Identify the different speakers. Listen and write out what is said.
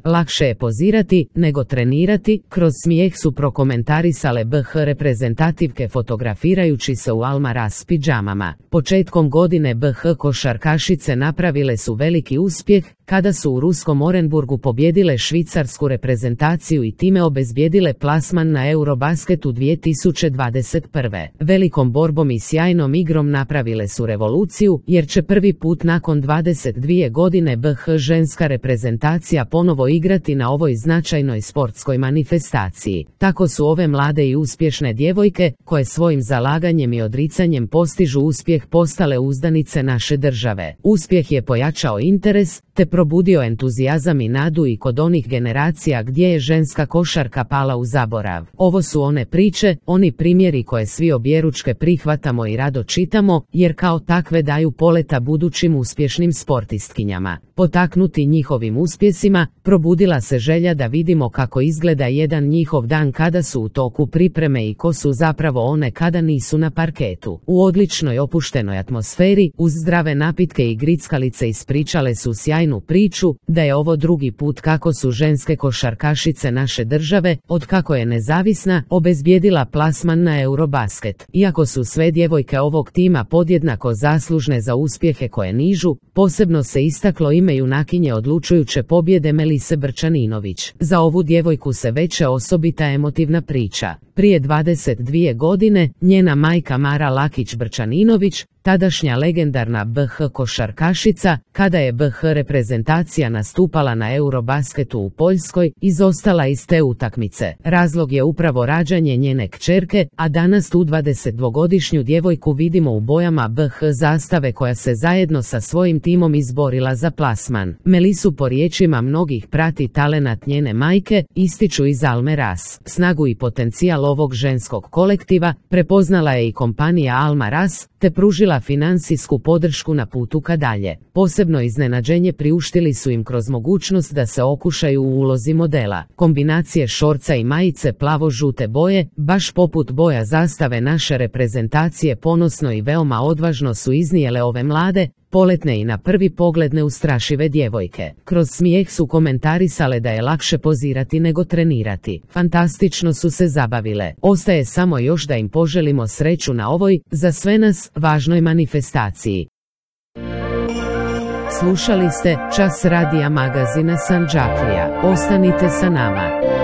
Speaker 1: Lakše je pozirati nego trenirati, kroz smijeh su prokomentarisale BH reprezentativke fotografirajući se u Almaraz pidžamama. Početkom godine BH košarkašice napravile su veliki uspjeh kada su u ruskom Orenburgu pobjedile švicarsku reprezentaciju i time obezbijedile plasman na Eurobasketu 2021. Velikom borbom i sjajnom igrom napravile su revoluciju, jer će prvi put nakon 22 godine BH ženska reprezentacija ponovo igrati na ovoj značajnoj sportskoj manifestaciji. Tako su ove mlade i uspješne djevojke, koje svojim zalaganjem i odricanjem postižu uspjeh, postale uzdanice naše države. Uspjeh je pojačao interes, te probudio entuzijazam i nadu i kod onih generacija gdje je ženska košarka pala u zaborav. Ovo su one priče, oni primjeri koje svi objeručke prihvatamo i rado čitamo, jer kao takve daju poleta budućim uspješnim sportistkinjama. Potaknuti njihovim uspjesima, probudila se želja da vidimo kako izgleda jedan njihov dan kada su u toku pripreme i ko su zapravo one kada nisu na parketu. U odličnoj opuštenoj atmosferi, uz zdrave napitke i grickalice ispričale su sjajnu priču, da je ovo drugi put kako su ženske košarkašice naše države, od kako je nezavisna, obezbijedila plasman na Eurobasket. Iako su sve djevojke ovog tima podjednako zaslužne za uspjehe koje nižu, posebno se istaklo ime junakinje odlučujuće pobjede Melise Brčaninović. Za ovu djevojku se veće osobita emotivna priča. Prije 22 godine, njena majka Mara Lakić Brčaninović, tadašnja legendarna BH košarkašica, kada je BH reprezentacija nastupala na Eurobasketu u Poljskoj, izostala iz te utakmice. Razlog je upravo rađanje njene kćerke, a danas tu 22-godišnju djevojku vidimo u bojama BH zastave koja se zajedno sa svojim timom izborila za plasman. Melisu po riječima mnogih prati talenat njene majke, ističu iz Almaraz. Snagu i potencijal ovog ženskog kolektiva prepoznala je i kompanija Almaraz, te pružila financijsku podršku na putu ka dalje. Posebno iznenađenje priuštili su im kroz mogućnost da se okušaju u ulozi modela. Kombinacije šorca i majice plavo-žute boje, baš poput boja zastave naše reprezentacije, ponosno i veoma odvažno su iznijele ove mlade, poletne i na prvi pogled neustrašive djevojke. Kroz smijeh su komentarisale da je lakše pozirati nego trenirati. Fantastično su se zabavile. Ostaje samo još da im poželimo sreću na ovoj, za sve nas, važnoj manifestaciji. Slušali ste Čas radija magazina Sandžaklija. Ostanite sa nama.